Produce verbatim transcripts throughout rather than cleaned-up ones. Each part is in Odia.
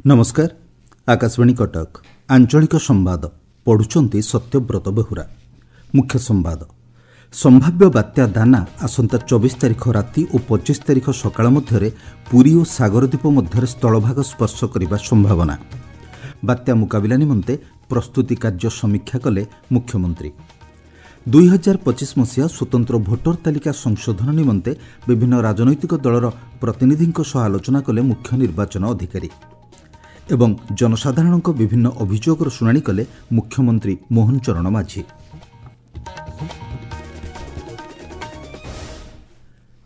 ନମସ୍କାର, ଆକାଶବାଣୀ କଟକ, ଆଞ୍ଚଳିକ ସମ୍ବାଦ ପଢୁଛନ୍ତି ସତ୍ୟବ୍ରତ ବେହୁରା। ମୁଖ୍ୟ ସମ୍ବାଦ। ସମ୍ଭାବ୍ୟ ବାତ୍ୟା ଦାନା ଆସନ୍ତା ଚବିଶ ତାରିଖ ରାତି ଓ ପଚିଶ ତାରିଖ ସକାଳ ମଧ୍ୟରେ ପୁରୀ ଓ ସାଗରଦ୍ୱୀପ ମଧ୍ୟରେ ସ୍ଥଳଭାଗ ସ୍ପର୍ଶ କରିବା ସମ୍ଭାବନା। ବାତ୍ୟା ମୁକାବିଲା ନିମନ୍ତେ ପ୍ରସ୍ତୁତି କାର୍ଯ୍ୟ ସମୀକ୍ଷା କଲେ ମୁଖ୍ୟମନ୍ତ୍ରୀ। ଦୁଇ ହଜାର ପଚିଶ ମସିହା ସ୍ୱତନ୍ତ୍ର ଭୋଟର ତାଲିକା ସଂଶୋଧନ ନିମନ୍ତେ ବିଭିନ୍ନ ରାଜନୈତିକ ଦଳର ପ୍ରତିନିଧିଙ୍କ ସହ ଆଲୋଚନା କଲେ ମୁଖ୍ୟ ନିର୍ବାଚନ ଅଧିକାରୀ। ଏବଂ ଜନସାଧାରଣଙ୍କ ବିଭିନ୍ନ ଅଭିଯୋଗର ଶୁଣାଣି କଲେ ମୁଖ୍ୟମନ୍ତ୍ରୀ ମୋହନ ଚରଣ ମାଝୀ।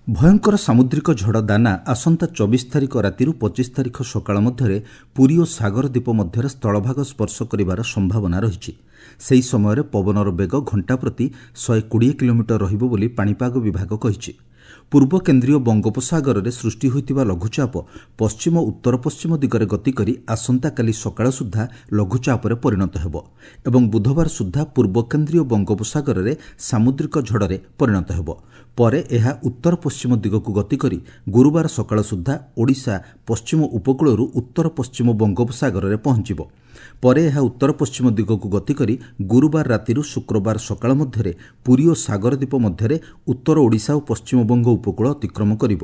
ଭୟଙ୍କର ସାମୁଦ୍ରିକ ଝଡ଼ ଦାନା ଆସନ୍ତା ଚବିଶ ତାରିଖ ରାତିରୁ ପଚିଶ ତାରିଖ ସକାଳ ମଧ୍ୟରେ ପୁରୀ ଓ ସାଗର ଦ୍ୱୀପ ମଧ୍ୟରେ ସ୍ଥଳଭାଗ ସ୍ପର୍ଶ କରିବାର ସମ୍ଭାବନା ରହିଛି। ସେହି ସମୟରେ ପବନର ବେଗ ଘଣ୍ଟା ପ୍ରତି ଶହେ କୋଡ଼ିଏ କିଲୋମିଟର ରହିବ ବୋଲି ପାଣିପାଗ ବିଭାଗ କହିଛି। ପୂର୍ବ କେନ୍ଦ୍ରୀୟ ବଙ୍ଗୋପସାଗରରେ ସୃଷ୍ଟି ହୋଇଥିବା ଲଘୁଚାପ ପଶ୍ଚିମ ଉତ୍ତର ପଶ୍ଚିମ ଦିଗରେ ଗତି କରି ଆସନ୍ତାକାଲି ସକାଳ ସୁଦ୍ଧା ଲଘୁଚାପରେ ପରିଣତ ହେବ ଏବଂ ବୁଧବାର ସୁଦ୍ଧା ପୂର୍ବ କେନ୍ଦ୍ରୀୟ ବଙ୍ଗୋପସାଗରରେ ସାମୁଦ୍ରିକ ଝଡ଼ରେ ପରିଣତ ହେବ। ପରେ ଏହା ଉତ୍ତର ପଶ୍ଚିମ ଦିଗକୁ ଗତି କରି ଗୁରୁବାର ସକାଳ ସୁଦ୍ଧା ଓଡ଼ିଶା ପଶ୍ଚିମ ଉପକୂଳରୁ ଉତ୍ତର ପଶ୍ଚିମ ବଙ୍ଗୋପସାଗରରେ ପହଞ୍ଚିବ। ପରେ ଏହା ଉତ୍ତର ପଶ୍ଚିମ ଦିଗକୁ ଗତି କରି ଗୁରୁବାର ରାତିରୁ ଶୁକ୍ରବାର ସକାଳ ମଧ୍ୟରେ ପୁରୀ ଓ ସାଗରଦ୍ୱୀପ ମଧ୍ୟରେ ଉତ୍ତର ଓଡ଼ିଶା ଓ ପଶ୍ଚିମବଙ୍ଗ ଉପକୂଳ ଅତିକ୍ରମ କରିବ।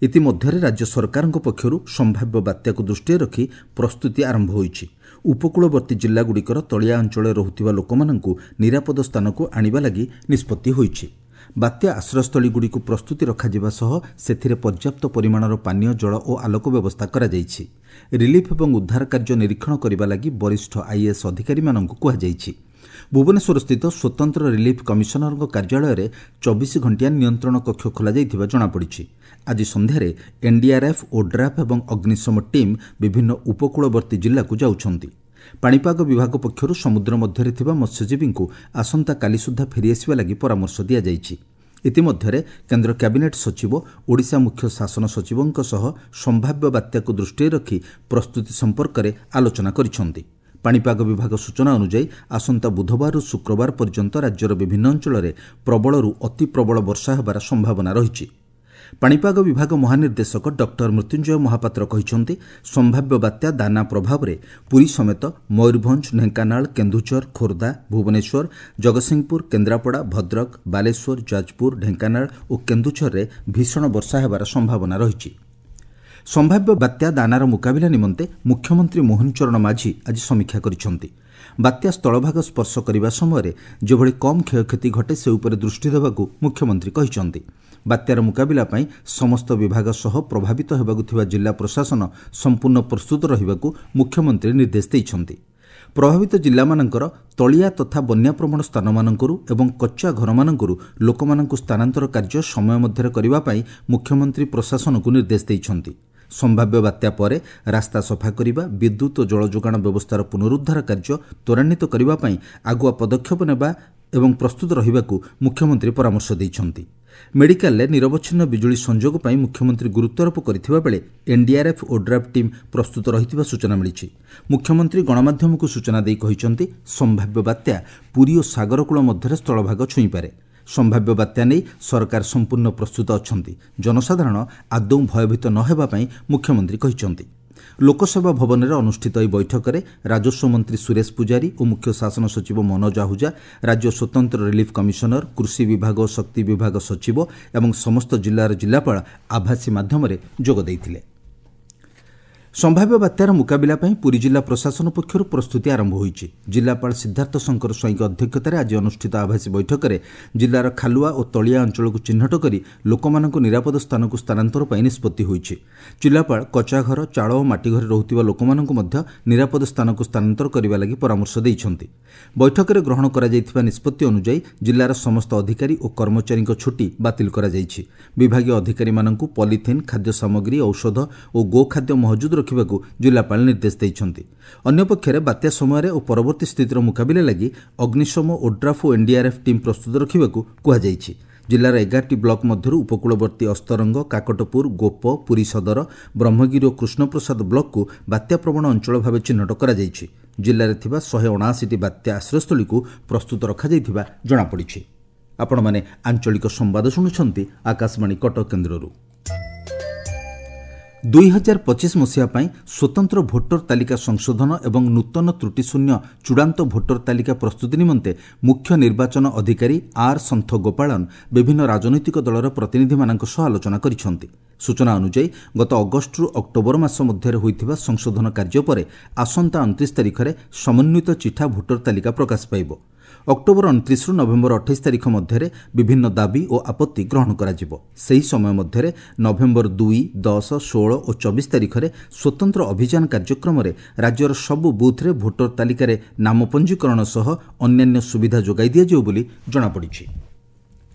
ଇତିମଧ୍ୟରେ ରାଜ୍ୟ ସରକାରଙ୍କ ପକ୍ଷରୁ ସମ୍ଭାବ୍ୟ ବାତ୍ୟାକୁ ଦୃଷ୍ଟିରେ ରଖି ପ୍ରସ୍ତୁତି ଆରମ୍ଭ ହୋଇଛି। ଉପକୂଳବର୍ତ୍ତୀ ଜିଲ୍ଲାଗୁଡ଼ିକର ତଳିଆ ଅଞ୍ଚଳରେ ରହୁଥିବା ଲୋକମାନଙ୍କୁ ନିରାପଦ ସ୍ଥାନକୁ ଆଣିବା ଲାଗି ନିଷ୍ପତ୍ତି ହୋଇଛି। ବାତ୍ୟା ଆଶ୍ରୟସ୍ଥଳୀଗୁଡ଼ିକୁ ପ୍ରସ୍ତୁତି ରଖାଯିବା ସହ ସେଥିରେ ପର୍ଯ୍ୟାପ୍ତ ପରିମାଣର ପାନୀୟ ଜଳ ଓ ଆଲୋକ ବ୍ୟବସ୍ଥା କରାଯାଇଛି। ରିଲିଫ୍ ଏବଂ ଉଦ୍ଧାର କାର୍ଯ୍ୟ ନିରୀକ୍ଷଣ କରିବା ଲାଗି ବରିଷ୍ଠ ଆଇଏଏସ୍ ଅଧିକାରୀମାନଙ୍କୁ କୁହାଯାଇଛି। ଭୁବନେଶ୍ୱରସ୍ଥିତ ସ୍ୱତନ୍ତ୍ର ରିଲିଫ୍ କମିଶନରଙ୍କ କାର୍ଯ୍ୟାଳୟରେ ଚବିଶ ଘଣ୍ଟିଆ ନିୟନ୍ତ୍ରଣ କକ୍ଷ ଖୋଲାଯାଇଥିବା ଜଣାପଡ଼ିଛି। ଆଜି ସନ୍ଧ୍ୟାରେ ଏନ୍ଡିଆର୍ଏଫ୍, ଓଡ୍ରାଫ୍ ଏବଂ ଅଗ୍ନିଶମ ଟିମ୍ ବିଭିନ୍ନ ଉପକୂଳବର୍ତ୍ତୀ ଜିଲ୍ଲାକୁ ଯାଉଛନ୍ତି। ପାଣିପାଗ ବିଭାଗ ପକ୍ଷରୁ ସମୁଦ୍ର ମଧ୍ୟରେ ଥିବା ମତ୍ସ୍ୟଜୀବୀଙ୍କୁ ଆସନ୍ତାକାଲି ସୁଦ୍ଧା ଫେରିଆସିବା ଲାଗି ପରାମର୍ଶ ଦିଆଯାଇଛି। ଇତିମଧ୍ୟରେ କେନ୍ଦ୍ର କ୍ୟାବିନେଟ୍ ସଚିବ ଓଡ଼ିଶା ମୁଖ୍ୟ ଶାସନ ସଚିବଙ୍କ ସହ ସମ୍ଭାବ୍ୟ ବାତ୍ୟାକୁ ଦୃଷ୍ଟିରେ ରଖି ପ୍ରସ୍ତୁତି ସମ୍ପର୍କରେ ଆଲୋଚନା କରିଛନ୍ତି। ପାଣିପାଗ ବିଭାଗ ସୂଚନା ଅନୁଯାୟୀ ଆସନ୍ତା ବୁଧବାରରୁ ଶୁକ୍ରବାର ପର୍ଯ୍ୟନ୍ତ ରାଜ୍ୟର ବିଭିନ୍ନ ଅଞ୍ଚଳରେ ପ୍ରବଳରୁ ଅତି ପ୍ରବଳ ବର୍ଷା ହେବାର ସମ୍ଭାବନା ରହିଛି। ପାଣିପାଗ ବିଭାଗ ମହାନିର୍ଦ୍ଦେଶକ ଡକ୍ଟର ମୃତ୍ୟୁଞ୍ଜୟ ମହାପାତ୍ର କହିଛନ୍ତି, ସମ୍ଭାବ୍ୟ ବାତ୍ୟା ଦାନା ପ୍ରଭାବରେ ପୁରୀ ସମେତ ମୟୂରଭଞ୍ଜ, ଢେଙ୍କାନାଳ, କେନ୍ଦୁଝର, ଖୋର୍ଦ୍ଧା, ଭୁବନେଶ୍ୱର, ଜଗତସିଂହପୁର, କେନ୍ଦ୍ରାପଡ଼ା, ଭଦ୍ରକ, ବାଲେଶ୍ୱର, ଯାଜପୁର, ଢେଙ୍କାନାଳ ଓ କେନ୍ଦୁଝରରେ ଭୀଷଣ ବର୍ଷା ହେବାର ସମ୍ଭାବନା ରହିଛି। ସମ୍ଭାବ୍ୟ ବାତ୍ୟା ଦାନାର ମୁକାବିଲା ନିମନ୍ତେ ମୁଖ୍ୟମନ୍ତ୍ରୀ ମୋହନ ଚରଣ ମାଝୀ ଆଜି ସମୀକ୍ଷା କରିଛନ୍ତି। ବାତ୍ୟା ସ୍ଥଳଭାଗ ସ୍ପର୍ଶ କରିବା ସମୟରେ ଯେଭଳି କମ୍ କ୍ଷୟକ୍ଷତି ଘଟେ ସେ ଉପରେ ଦୃଷ୍ଟି ଦେବାକୁ ମୁଖ୍ୟମନ୍ତ୍ରୀ କହିଛନ୍ତି। ବାତ୍ୟାର ମୁକାବିଲା ପାଇଁ ସମସ୍ତ ବିଭାଗ ସହ ପ୍ରଭାବିତ ହେବାକୁ ଥିବା ଜିଲ୍ଲା ପ୍ରଶାସନ ସମ୍ପୂର୍ଣ୍ଣ ପ୍ରସ୍ତୁତ ରହିବାକୁ ମୁଖ୍ୟମନ୍ତ୍ରୀ ନିର୍ଦ୍ଦେଶ ଦେଇଛନ୍ତି। ପ୍ରଭାବିତ ଜିଲ୍ଲାମାନଙ୍କର ତଳିଆ ତଥା ବନ୍ୟାପ୍ରବଣ ସ୍ଥାନମାନଙ୍କରୁ ଏବଂ କଚ୍ଚା ଘରମାନଙ୍କରୁ ଲୋକମାନଙ୍କୁ ସ୍ଥାନାନ୍ତର କାର୍ଯ୍ୟ ସମୟ ମଧ୍ୟରେ କରିବା ପାଇଁ ମୁଖ୍ୟମନ୍ତ୍ରୀ ପ୍ରଶାସନକୁ ନିର୍ଦ୍ଦେଶ ଦେଇଛନ୍ତି। ସମ୍ଭାବ୍ୟ ବାତ୍ୟା ପରେ ରାସ୍ତା ସଫା କରିବା, ବିଦ୍ୟୁତ୍ ଓ ଜଳ ଯୋଗାଣ ବ୍ୟବସ୍ଥାର ପୁନରୁଦ୍ଧାର କାର୍ଯ୍ୟ ତ୍ୱରାନ୍ୱିତ କରିବା ପାଇଁ ଆଗୁଆ ପଦକ୍ଷେପ ନେବା ଏବଂ ପ୍ରସ୍ତୁତ ରହିବାକୁ ମୁଖ୍ୟମନ୍ତ୍ରୀ ପରାମର୍ଶ ଦେଇଛନ୍ତି। ମେଡିକାଲରେ ନିରବଚ୍ଛିନ୍ନ ବିଜୁଳି ସଂଯୋଗ ପାଇଁ ମୁଖ୍ୟମନ୍ତ୍ରୀ ଗୁରୁତ୍ୱାରୋପ କରିଥିବା ବେଳେ ଏନ୍ଡିଆର୍ଏଫ୍, ଓଡ୍ରାଫ୍ ଟିମ୍ ପ୍ରସ୍ତୁତ ରହିଥିବା ସୂଚନା ମିଳିଛି। ମୁଖ୍ୟମନ୍ତ୍ରୀ ଗଣମାଧ୍ୟମକୁ ସୂଚନା ଦେଇ କହିଛନ୍ତି, ସମ୍ଭାବ୍ୟ ବାତ୍ୟା ପୁରୀ ଓ ସାଗରକୂଳ ମଧ୍ୟରେ ସ୍ଥଳଭାଗ ଛୁଇଁପାରେ। ସମ୍ଭାବ୍ୟ ବାତ୍ୟା ନେଇ ସରକାର ସମ୍ପୂର୍ଣ୍ଣ ପ୍ରସ୍ତୁତ ଅଛନ୍ତି। ଜନସାଧାରଣ ଆଦୌ ଭୟଭୀତ ନ ହେବା ପାଇଁ ମୁଖ୍ୟମନ୍ତ୍ରୀ କହିଛନ୍ତି। ଲୋକସେବା ଭବନରେ ଅନୁଷ୍ଠିତ ଏହି ବୈଠକରେ ରାଜସ୍ୱ ମନ୍ତ୍ରୀ ସୁରେଶ ପୂଜାରୀ ଓ ମୁଖ୍ୟ ଶାସନ ସଚିବ ମନୋଜ ଆହୁଜା, ରାଜ୍ୟ ସ୍ୱତନ୍ତ୍ର ରିଲିଫ୍ କମିଶନର, କୃଷି ବିଭାଗ ଓ ଶକ୍ତି ବିଭାଗ ସଚିବ ଏବଂ ସମସ୍ତ ଜିଲ୍ଲାର ଜିଲ୍ଲାପାଳ ଆଭାସୀ ମାଧ୍ୟମରେ ଯୋଗ ଦେଇଥିଲେ। ସମ୍ଭାବ୍ୟ ବାତ୍ୟାର ମୁକାବିଲା ପାଇଁ ପୁରୀ ଜିଲ୍ଲା ପ୍ରଶାସନ ପକ୍ଷରୁ ପ୍ରସ୍ତୁତି ଆରମ୍ଭ ହୋଇଛି। ଜିଲ୍ଲାପାଳ ସିଦ୍ଧାର୍ଥ ଶଙ୍କର ସ୍ୱାଇଁଙ୍କ ଅଧ୍ୟକ୍ଷତାରେ ଆଜି ଅନୁଷ୍ଠିତ ଆଭାସୀ ବୈଠକରେ ଜିଲ୍ଲାର ଖାଲୁଆ ଓ ତଳିଆ ଅଞ୍ଚଳକୁ ଚିହ୍ନଟ କରି ଲୋକମାନଙ୍କୁ ନିରାପଦ ସ୍ଥାନକୁ ସ୍ଥାନାନ୍ତର ପାଇଁ ନିଷ୍ପତ୍ତି ହୋଇଛି। ଜିଲ୍ଲାପାଳ କଚାଘର, ଚାଳ ଓ ମାଟିଘରେ ରହୁଥିବା ଲୋକମାନଙ୍କୁ ମଧ୍ୟ ନିରାପଦ ସ୍ଥାନକୁ ସ୍ଥାନାନ୍ତର କରିବା ଲାଗି ପରାମର୍ଶ ଦେଇଛନ୍ତି। ବୈଠକରେ ଗ୍ରହଣ କରାଯାଇଥିବା ନିଷ୍ପତ୍ତି ଅନୁଯାୟୀ ଜିଲ୍ଲାର ସମସ୍ତ ଅଧିକାରୀ ଓ କର୍ମଚାରୀଙ୍କ ଛୁଟି ବାତିଲ କରାଯାଇଛି। ବିଭାଗୀୟ ଅଧିକାରୀମାନଙ୍କୁ ପଲିଥିନ୍, ଖାଦ୍ୟ ସାମଗ୍ରୀ, ଔଷଧ ଓ ଗୋଖାଦ୍ୟ ମହଜୁଦ ରଖିବାକୁ ଜିଲ୍ଲାପାଳ ନିର୍ଦ୍ଦେଶ ଦେଇଛନ୍ତି। ଅନ୍ୟପକ୍ଷରେ ବାତ୍ୟା ସମୟରେ ଓ ପରବର୍ତ୍ତୀ ସ୍ଥିତିର ମୁକାବିଲା ଲାଗି ଅଗ୍ନିଶମ, ଓଡ୍ରାଫ୍ ଓ ଏନ୍ଡିଆର୍ଏଫ୍ ଟିମ୍ ପ୍ରସ୍ତୁତ ରଖିବାକୁ କୁହାଯାଇଛି। ଜିଲ୍ଲାର ଏଗାରଟି ବ୍ଲକ ମଧ୍ୟରୁ ଉପକୂଳବର୍ତ୍ତୀ ଅସ୍ତରଙ୍ଗ, କାକଟପୁର, ଗୋପ, ପୁରୀ ସଦର, ବ୍ରହ୍ମଗିରି ଓ କୃଷ୍ଣପ୍ରସାଦ ବ୍ଲକକୁ ବାତ୍ୟାପ୍ରବଣ ଅଞ୍ଚଳ ଭାବେ ଚିହ୍ନଟ କରାଯାଇଛି। ଜିଲ୍ଲାରେ ଥିବା ଶହେ ଅଣାଅଶୀଟି ବାତ୍ୟା ଆଶ୍ରୟସ୍ଥଳୀକୁ ପ୍ରସ୍ତୁତ ରଖାଯାଇଥିବା ଜଣାପଡ଼ିଛି। ଆପଣମାନେ ଆଞ୍ଚଳିକ ସମ୍ବାଦ ଶୁଣୁଛନ୍ତି ଆକାଶବାଣୀ କଟକ କେନ୍ଦ୍ରରୁ। ଦୁଇ ହଜାର ପଚିଶ ମସିହା ପାଇଁ ସ୍ୱତନ୍ତ୍ର ଭୋଟର ତାଲିକା ସଂଶୋଧନ ଏବଂ ନୂତନ ତ୍ରୁଟିଶୂନ୍ୟ ଚୂଡ଼ାନ୍ତ ଭୋଟର ତାଲିକା ପ୍ରସ୍ତୁତି ନିମନ୍ତେ ମୁଖ୍ୟ ନିର୍ବାଚନ ଅଧିକାରୀ ଆର୍ ସନ୍ଥ ଗୋପାଳନ ବିଭିନ୍ନ ରାଜନୈତିକ ଦଳର ପ୍ରତିନିଧିମାନଙ୍କ ସହ ଆଲୋଚନା କରିଛନ୍ତି। ସୂଚନା ଅନୁଯାୟୀ ଗତ ଅଗଷ୍ଟରୁ ଅକ୍ଟୋବର ମାସ ମଧ୍ୟରେ ହୋଇଥିବା ସଂଶୋଧନ କାର୍ଯ୍ୟ ପରେ ଆସନ୍ତା ଅଣତିରିଶ ତାରିଖରେ ସମନ୍ୱିତ ଚିଠା ଭୋଟର ତାଲିକା ପ୍ରକାଶ ପାଇବ। ଅକ୍ଟୋବର ଅଣତିରିଶରୁ ନଭେମ୍ବର ଅଠେଇଶ ତାରିଖ ମଧ୍ୟରେ ବିଭିନ୍ନ ଦାବି ଓ ଆପତ୍ତି ଗ୍ରହଣ କରାଯିବ। ସେହି ସମୟ ମଧ୍ୟରେ ନଭେମ୍ବର ଦୁଇ, ଦଶ, ଷୋହଳ ଓ ଚବିଶ ତାରିଖରେ ସ୍ୱତନ୍ତ୍ର ଅଭିଯାନ କାର୍ଯ୍ୟକ୍ରମରେ ରାଜ୍ୟର ସବୁ ବୁଥ୍ରେ ଭୋଟର ତାଲିକାରେ ନାମ ପଞ୍ଜୀକରଣ ସହ ଅନ୍ୟାନ୍ୟ ସୁବିଧା ଯୋଗାଇ ଦିଆଯିବ ବୋଲି ଜଣାପଡ଼ିଛି।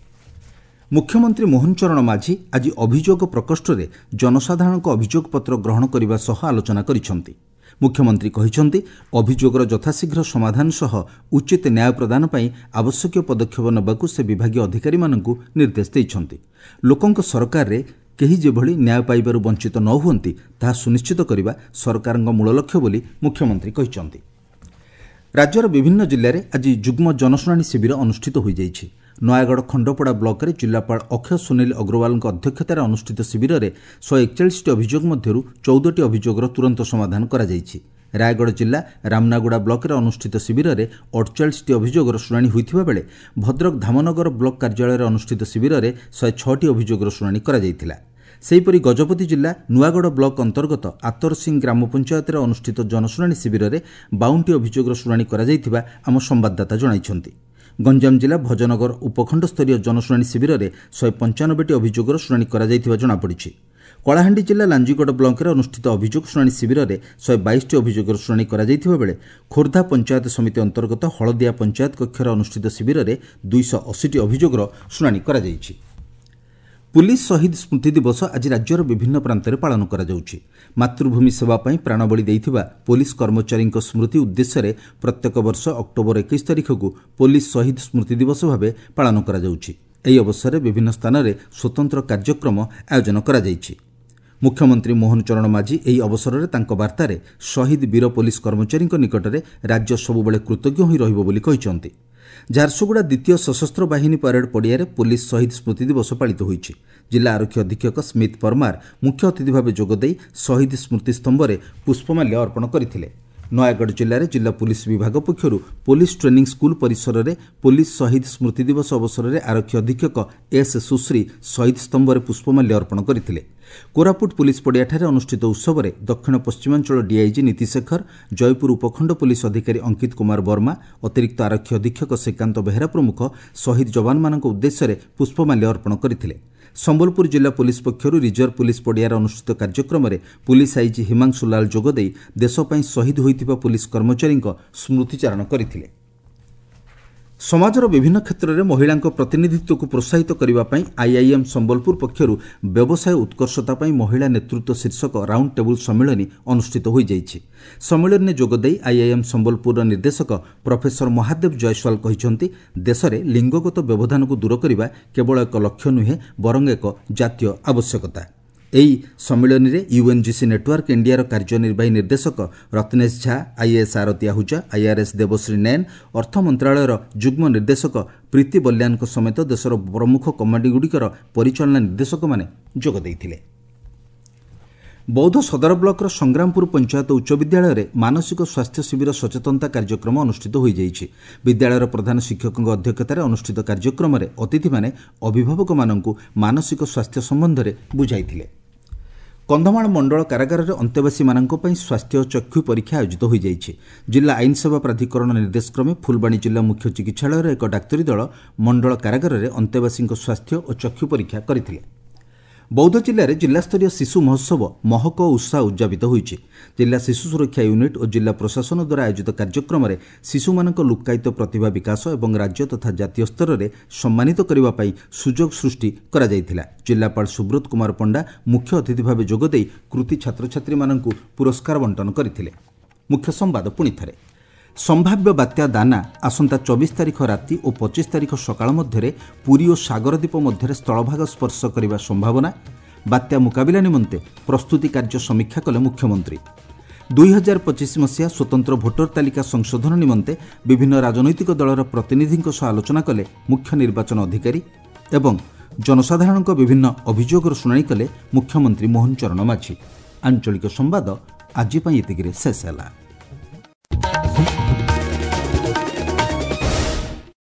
ମୁଖ୍ୟମନ୍ତ୍ରୀ ମୋହନ ଚରଣ ମାଝୀ ଆଜି ଅଭିଯୋଗ ପ୍ରକୋଷ୍ଠରେ ଜନସାଧାରଣଙ୍କ ଅଭିଯୋଗପତ୍ର ଗ୍ରହଣ କରିବା ସହ ଆଲୋଚନା କରିଛନ୍ତି। ମୁଖ୍ୟମନ୍ତ୍ରୀ କହିଛନ୍ତି, ଅଭିଯୋଗର ଯଥାଶୀଘ୍ର ସମାଧାନ ସହ ଉଚିତ ନ୍ୟାୟ ପ୍ରଦାନ ପାଇଁ ଆବଶ୍ୟକୀୟ ପଦକ୍ଷେପ ନେବାକୁ ସେ ବିଭାଗୀୟ ଅଧିକାରୀମାନଙ୍କୁ ନିର୍ଦ୍ଦେଶ ଦେଇଛନ୍ତି। ଲୋକଙ୍କ ସରକାରରେ କେହି ଯେଭଳି ନ୍ୟାୟ ପାଇବାରୁ ବଞ୍ଚିତ ନ ହୁଅନ୍ତି ତାହା ସୁନିଶ୍ଚିତ କରିବା ସରକାରଙ୍କ ମୂଳ ଲକ୍ଷ୍ୟ ବୋଲି ମୁଖ୍ୟମନ୍ତ୍ରୀ କହିଛନ୍ତି। ରାଜ୍ୟର ବିଭିନ୍ନ ଜିଲ୍ଲାରେ ଆଜି ଯୁଗ୍ମ ଜନଶୁଣାଣି ଶିବିର ଅନୁଷ୍ଠିତ ହୋଇଯାଇଛି। ନୟାଗଡ଼ ଖଣ୍ଡପଡ଼ା ବ୍ଲକରେ ଜିଲ୍ଲାପାଳ ଅକ୍ଷୟ ସୁନୀଲ ଅଗ୍ରୱାଲଙ୍କ ଅଧ୍ୟକ୍ଷତାରେ ଅନୁଷ୍ଠିତ ଶିବିରରେ ଶହେ ଏକଚାଳିଶଟି ଅଭିଯୋଗ ମଧ୍ୟରୁ ଚଉଦଟି ଅଭିଯୋଗର ତୁରନ୍ତ ସମାଧାନ କରାଯାଇଛି। ରାୟଗଡ଼ ଜିଲ୍ଲା ରାମନାଗୁଡ଼ା ବ୍ଲକରେ ଅନୁଷ୍ଠିତ ଶିବିରରେ ଅଡ଼ଚାଳିଶଟି ଅଭିଯୋଗର ଶୁଣାଣି ହୋଇଥିବା ବେଳେ ଭଦ୍ରକ ଧାମନଗର ବ୍ଲକ କାର୍ଯ୍ୟାଳୟରେ ଅନୁଷ୍ଠିତ ଶିବିରରେ ଶହେ ଛଅଟି ଅଭିଯୋଗର ଶୁଣାଣି କରାଯାଇଥିଲା। ସେହିପରି ଗଜପତି ଜିଲ୍ଲା ନୂଆଗଡ଼ ବ୍ଲକ ଅନ୍ତର୍ଗତ ଆତରସିଂ ଗ୍ରାମ ପଞ୍ଚାୟତରେ ଅନୁଷ୍ଠିତ ଜନଶୁଣାଣି ଶିବିରରେ ବାଉନଟି ଅଭିଯୋଗର ଶୁଣାଣି କରାଯାଇଥିବା ଆମ ସମ୍ବାଦଦାତା ଜଣାଇଛନ୍ତି। ଗଞ୍ଜାମ ଜିଲ୍ଲା ଭଜନଗର ଉପଖଣ୍ଡସ୍ତରୀୟ ଜନଶୁଣାଣି ଶିବିରରେ ଶହେ ପଞ୍ଚାନବେଟି ଅଭିଯୋଗର ଶୁଣାଣି କରାଯାଇଥିବା ଜଣାପଡ଼ିଛି। କଳାହାଣ୍ଡି ଜିଲ୍ଲା ଲାଞ୍ଜିଗଡ଼ ବ୍ଲକରେ ଅନୁଷ୍ଠିତ ଅଭିଯୋଗ ଶୁଣାଣି ଶିବିରରେ ଶହେ ବାଇଶଟି ଅଭିଯୋଗର ଶୁଣାଣି କରାଯାଇଥିବା ବେଳେ ଖୋର୍ଦ୍ଧା ପଞ୍ଚାୟତ ସମିତି ଅନ୍ତର୍ଗତ ହଳଦିଆ ପଞ୍ଚାୟତ କକ୍ଷରେ ଅନୁଷ୍ଠିତ ଶିବିରରେ ଦୁଇଶହ ଅଶୀଟି ଅଭିଯୋଗର ଶୁଣାଣି କରାଯାଇଛି। ପୁଲିସ୍ ଶହୀଦ ସ୍ମୃତି ଦିବସ ଆଜି ରାଜ୍ୟର ବିଭିନ୍ନ ପ୍ରାନ୍ତରେ ପାଳନ କରାଯାଉଛି। ମାତୃଭୂମି ସେବା ପାଇଁ ପ୍ରାଣବଳି ଦେଇଥିବା ପୋଲିସ କର୍ମଚାରୀଙ୍କ ସ୍ମୃତି ଉଦ୍ଦେଶ୍ୟରେ ପ୍ରତ୍ୟେକ ବର୍ଷ ଅକ୍ଟୋବର ଏକୋଇଶ ତାରିଖକୁ ପୋଲିସ ଶହୀଦ ସ୍ମୃତି ଦିବସ ଭାବେ ପାଳନ କରାଯାଉଛି। ଏହି ଅବସରରେ ବିଭିନ୍ନ ସ୍ଥାନରେ ସ୍ୱତନ୍ତ୍ର କାର୍ଯ୍ୟକ୍ରମ ଆୟୋଜନ କରାଯାଇଛି। ମୁଖ୍ୟମନ୍ତ୍ରୀ ମୋହନ ଚରଣ ମାଝୀ ଏହି ଅବସରରେ ତାଙ୍କ ବାର୍ତ୍ତାରେ ଶହୀଦ ବୀର ପୋଲିସ କର୍ମଚାରୀଙ୍କ ନିକଟରେ ରାଜ୍ୟ ସବୁବେଳେ କୃତଜ୍ଞ ହୋଇ ରହିବ ବୋଲି କହିଛନ୍ତି। ଝାରସୁଗୁଡ଼ା ଦ୍ୱିତୀୟ ସଶସ୍ତ୍ର ବାହିନୀ ପରେଡ୍ ପଡ଼ିଆରେ ପୋଲିସ ଶହୀଦ ସ୍ମୃତି ଦିବସ ପାଳିତ ହୋଇଛି। ଜିଲ୍ଲା ଆରକ୍ଷୀ ଅଧୀକ୍ଷକ ସ୍ମିତ ପରମାର ମୁଖ୍ୟ ଅତିଥି ଭାବେ ଯୋଗଦେଇ ଶହୀଦ ସ୍ମୃତି ସ୍ତମ୍ଭରେ ପୁଷ୍ପମାଲ୍ୟ ଅର୍ପଣ କରିଥିଲେ। ନୟାଗଡ଼ ଜିଲ୍ଲାରେ ଜିଲ୍ଲା ପୁଲିସ ବିଭାଗ ପକ୍ଷରୁ ପୋଲିସ ଟ୍ରେନିଂ ସ୍କୁଲ ପରିସରରେ ପୋଲିସ ଶହୀଦ ସ୍ମୃତି ଦିବସ ଅବସରରେ ଆରକ୍ଷୀ ଅଧୀକ୍ଷକ ଏସ୍ ସୁଶ୍ରୀ ଶହୀଦ ସ୍ତମ୍ଭରେ ପୁଷ୍ପମାଲ୍ୟ ଅର୍ପଣ କରିଥିଲେ। କୋରାପୁଟ ପୁଲିସ ପଡ଼ିଆଠାରେ ଅନୁଷ୍ଠିତ ଉତ୍ସବରେ ଦକ୍ଷିଣ ପଶ୍ଚିମାଞ୍ଚଳ ଡିଆଇଜି ନୀତିଶେଖର, ଜୟପୁର ଉପଖଣ୍ଡ ପୁଲିସ ଅଧିକାରୀ ଅଙ୍କିତ କୁମାର ବର୍ମା, ଅତିରିକ୍ତ ଆରକ୍ଷୀ ଅଧୀକ୍ଷକ ଶ୍ରୀକାନ୍ତ ବେହେରା ପ୍ରମୁଖ ଶହୀଦ ଯବାନମାନଙ୍କ ଉଦ୍ଦେଶ୍ୟରେ ପୁଷ୍ପମାଲ୍ୟ ଅର୍ପଣ କରିଥିଲେ। ସମ୍ବଲପୁର ଜିଲ୍ଲା ପୁଲିସ ପକ୍ଷରୁ ରିଜର୍ଭ ପୁଲିସ ପଡ଼ିଆରେ ଅନୁଷ୍ଠିତ କାର୍ଯ୍ୟକ୍ରମରେ ପୁଲିସ ଆଇଜି ହିମାଂଶୁ ଲାଲ ଯୋଗଦେଇ ଦେଶ ପାଇଁ ଶହୀଦ ହୋଇଥିବା ପୁଲିସ କର୍ମଚାରୀଙ୍କ ସ୍ମୃତିଚାରଣ କରିଥିଲେ। ସମାଜର ବିଭିନ୍ନ କ୍ଷେତ୍ରରେ ମହିଳାଙ୍କ ପ୍ରତିନିଧିତ୍ୱକୁ ପ୍ରୋତ୍ସାହିତ କରିବା ପାଇଁ ଆଇଆଇଏମ୍ ସମ୍ବଲପୁର ପକ୍ଷରୁ ବ୍ୟବସାୟ ଉତ୍କର୍ଷତା ପାଇଁ ମହିଳା ନେତୃତ୍ୱ ଶୀର୍ଷକ ରାଉଣ୍ଡ ଟେବୁଲ୍ ସମ୍ମିଳନୀ ଅନୁଷ୍ଠିତ ହୋଇଯାଇଛି। ସମ୍ମିଳନୀରେ ଯୋଗଦେଇ ଆଇଆଇଏମ୍ ସମ୍ବଲପୁରର ନିର୍ଦ୍ଦେଶକ ପ୍ରଫେସର ମହାଦେବ ଜୟସ୍ୱାଲ କହିଛନ୍ତି, ଦେଶରେ ଲିଙ୍ଗଗତ ବ୍ୟବଧାନକୁ ଦୂର କରିବା କେବଳ ଏକ ଲକ୍ଷ୍ୟ ନୁହେଁ, ବରଂ ଏକ ଜାତୀୟ ଆବଶ୍ୟକତା। ଏହି ସମ୍ମିଳନୀରେ ୟୁଏନ୍ଜିସି ନେଟୱାର୍କ ଇଣ୍ଡିଆର କାର୍ଯ୍ୟନିର୍ବାହୀ ନିର୍ଦ୍ଦେଶକ ରତ୍ନେଶ ଝା, ଆଇଏଏସ୍ ଆରତୀ ଆହୁଜା, ଆଇଆର୍ଏସ୍ ଦେବଶ୍ରୀ ନୈନ, ଅର୍ଥ ମନ୍ତ୍ରଣାଳୟର ଯୁଗ୍ମ ନିର୍ଦ୍ଦେଶକ ପ୍ରୀତି ବଲ୍ୟାନଙ୍କ ସମେତ ଦେଶର ପ୍ରମୁଖ କମ୍ପାନୀଗୁଡ଼ିକର ପରିଚାଳନା ନିର୍ଦ୍ଦେଶକମାନେ ଯୋଗ ଦେଇଥିଲେ। ବୌଦ୍ଧ ସଦର ବ୍ଲକର ସଂଗ୍ରାମପୁର ପଞ୍ଚାୟତ ଉଚ୍ଚ ବିଦ୍ୟାଳୟରେ ମାନସିକ ସ୍ୱାସ୍ଥ୍ୟ ଶିବିର ସଚେତନତା କାର୍ଯ୍ୟକ୍ରମ ଅନୁଷ୍ଠିତ ହୋଇଯାଇଛି। ବିଦ୍ୟାଳୟର ପ୍ରଧାନ ଶିକ୍ଷକଙ୍କ ଅଧ୍ୟକ୍ଷତାରେ ଅନୁଷ୍ଠିତ କାର୍ଯ୍ୟକ୍ରମରେ ଅତିଥିମାନେ ଅଭିଭାବକମାନଙ୍କୁ ମାନସିକ ସ୍ୱାସ୍ଥ୍ୟ ସମ୍ବନ୍ଧରେ ବୁଝାଇଥିଲେ। କନ୍ଧମାଳ ମଣ୍ଡଳ କାରାଗାରରେ ଅନ୍ତେବାସୀମାନଙ୍କ ପାଇଁ ସ୍ୱାସ୍ଥ୍ୟ ଚକ୍ଷୁ ପରୀକ୍ଷା ଆୟୋଜିତ ହୋଇଯାଇଛି। ଜିଲ୍ଲା ଆଇନ ସେବା ପ୍ରାଧିକରଣ ନିର୍ଦ୍ଦେଶକ୍ରମେ ଫୁଲବାଣୀ ଜିଲ୍ଲା ମୁଖ୍ୟ ଚିକିତ୍ସାଳୟର ଏକ ଡାକ୍ତରୀ ଦଳ ମଣ୍ଡଳ କାରାଗାରରେ ଅନ୍ତେବାସୀଙ୍କ ସ୍ୱାସ୍ଥ୍ୟ ଓ ଚକ୍ଷୁ ପରୀକ୍ଷା କରିଥିଲେ। ବୌଦ୍ଧ ଜିଲ୍ଲାରେ ଜିଲ୍ଲାସ୍ତରୀୟ ଶିଶୁ ମହୋତ୍ସବ ମହକ ଉତ୍ସାହ ଉଦ୍ଯାପିତ ହୋଇଛି। ଜିଲ୍ଲା ଶିଶୁ ସୁରକ୍ଷା ୟୁନିଟ୍ ଓ ଜିଲ୍ଲା ପ୍ରଶାସନ ଦ୍ୱାରା ଆୟୋଜିତ କାର୍ଯ୍ୟକ୍ରମରେ ଶିଶୁମାନଙ୍କ ଲୁକ୍କାୟିତ ପ୍ରତିଭା ବିକାଶ ଏବଂ ରାଜ୍ୟ ତଥା ଜାତୀୟ ସ୍ତରରେ ସମ୍ମାନିତ କରିବା ପାଇଁ ସୁଯୋଗ ସୃଷ୍ଟି କରାଯାଇଥିଲା। ଜିଲ୍ଲାପାଳ ସୁବ୍ରତ କୁମାର ପଣ୍ଡା ମୁଖ୍ୟ ଅତିଥି ଭାବେ ଯୋଗଦେଇ କୃତି ଛାତ୍ରଛାତ୍ରୀମାନଙ୍କୁ ପୁରସ୍କାର ବଣ୍ଟନ କରିଥିଲେ। ମୁଖ୍ୟ ସମ୍ବାଦ ପୁଣିଥରେ। ସମ୍ଭାବ୍ୟ ବାତ୍ୟା ଦାନା ଆସନ୍ତା ଚବିଶ ତାରିଖ ରାତି ଓ ପଚିଶ ତାରିଖ ସକାଳ ମଧ୍ୟରେ ପୁରୀ ଓ ସାଗରଦ୍ୱୀପ ମଧ୍ୟରେ ସ୍ଥଳଭାଗ ସ୍ପର୍ଶ କରିବା ସମ୍ଭାବନା। ବାତ୍ୟା ମୁକାବିଲା ନିମନ୍ତେ ପ୍ରସ୍ତୁତି କାର୍ଯ୍ୟ ସମୀକ୍ଷା କଲେ ମୁଖ୍ୟମନ୍ତ୍ରୀ। ଦୁଇ ହଜାର ପଚିଶ ମସିହା ସ୍ୱତନ୍ତ୍ର ଭୋଟର ତାଲିକା ସଂଶୋଧନ ନିମନ୍ତେ ବିଭିନ୍ନ ରାଜନୈତିକ ଦଳର ପ୍ରତିନିଧିଙ୍କ ସହ ଆଲୋଚନା କଲେ ମୁଖ୍ୟ ନିର୍ବାଚନ ଅଧିକାରୀ ଏବଂ ଜନସାଧାରଣଙ୍କ ବିଭିନ୍ନ ଅଭିଯୋଗର ଶୁଣାଣି କଲେ ମୁଖ୍ୟମନ୍ତ୍ରୀ ମୋହନ ଚରଣ ମାଝୀ। ଆଞ୍ଚଳିକ ସମ୍ବାଦ ଆଜି ପାଇଁ ଏତିକିରେ ଶେଷ ହେଲା।